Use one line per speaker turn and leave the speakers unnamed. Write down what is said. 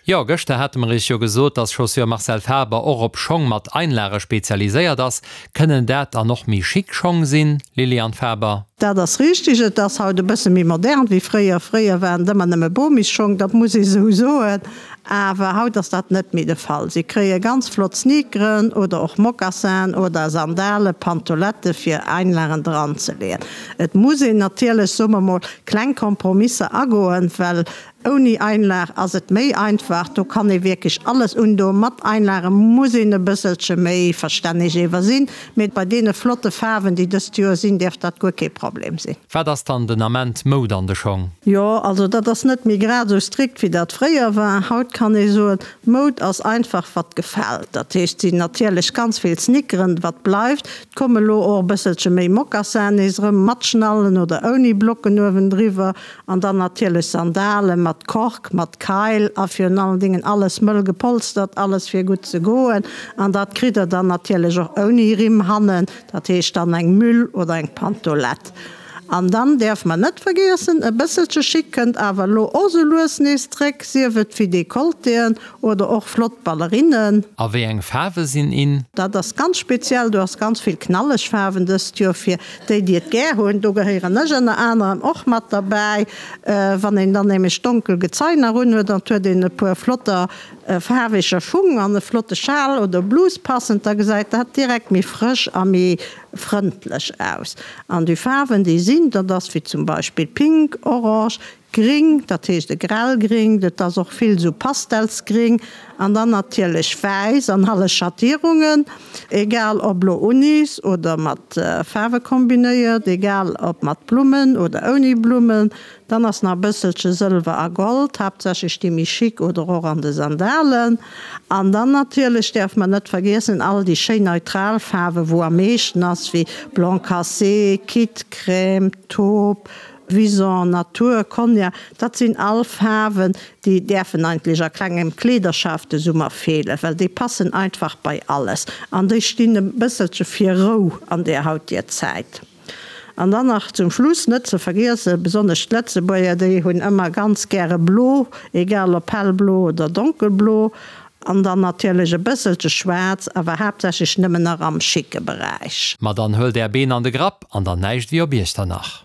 Jo, gëschter hate mer iech jo gesot, dass Chaussure Marcel Faber och op Schong mat Einlage spezialiséiert ass. Kënnen dat dann och méi chic Schong sinn, Liliane Faber?
Dat ass richteg. Et ass haut e bësse méi modern wéi fréier. Fréier waren et ëmmer nëmme Bomisschong, dat muss ee sou soen. Awer haut ass dat net méi de Fall. Si kréie ganz flott Sneakeren oder och Mocassinen oder Sandale, Pantolette fir Einlagen dran ze leeën. Et muss een natierlech, soe mer mol, kleng Kompromisser agoen, well ouni Einlag ass et méi einfach, do kann ee wierklech alles undoen. Mat Einlage muss een e bësselche méi verstänneg ewer sinn, mee bei deene flotte Faarwen, déi dëst Joer sinn, dierft dat guer kee Problem sinn.
Wat ass dann den Ament Moud an de Schong?
Jo, also dat ass net méi grad esou strikt wéi dat fréier war. Haut kann ee soen, Moud ass einfach wat gefält. Dat heescht, et sinn natierlech ganz vill Sneakeren, wat bleift. Et komme lo och e bësselche méi Moccassinen nees erëm, mat Schnallen oder ouni Blocken uewendriwwer. An dann natierlech Sandale mat Kork, mat Keil a virun allen Dingen alles mëll gepolstert, alles fir gutt ze goen. An dat kritt der dann natierlech och ouni Rimm hannen. Dat heescht dann eng Müll oder eng Pantolette. An dann däerf mer net vergiessen, e bësselche Chic kënnt awer elo och sou lues nees zréck, sief et wéi Decolletéen oder och flott Ballerinnen.
A wéi eng Faarwe sinn in?
Dat ass ganz speziell, do ass ganz vill knalleg Faarwen dëst Joer fir déi, déi et gär hunn. Do gehéieren ech ënner anerem och mat derbäi. Wann een dann nämlech donkel Gezei nach unhuet an et huet een e puer flotter Faarweger Schung an e flotte Schal oder Blus passend, da gesäit dat direkt méi frësch a méi frëndlech aus. An déi Faarwen déi sinn, dat ass wéi zum Beispill pink, orange, gring, dat heescht e grellgring, et ass och vill esou pastelsgring an dann natierlech wäiss an alle Schattierungen, egal ob lo unis oder mat Faarwe kombinéiert, egal ob mat Blummen oder ouni Blummen. Dann ass nach e bësselche Sëlwer a Gold, haaptsächlech déi méi chic oder och an de Sandalen. An dann natierlech däerf mer net vergiessen all déi schéin neutral Faarwen, wou am meeschten ass, wéi Blanc cassé, Kit, Crème, Taupe, Vison, Natur, Cognac. Dat sinn all Faarwen, déi däerfen eigentlech a klengem Kleederschaf de Summer feelen, well déi passen einfach bei alles an déi stinn e bësselche fir Rou an där hautier Zäit. An dann nach zum Schluss net ze vergiessen, besonnesch d'Lëtzebuerger, déi hunn ëmmer ganz gäre blo, egal ob hellblo oder donkelblo, an dann natierlech e bësselche schwaarz, awer haaptsächlech nëmmen nach am schicke Beräich.
Ma dann huelt är Been an de Grapp an dann näischt wéi op Iechternach.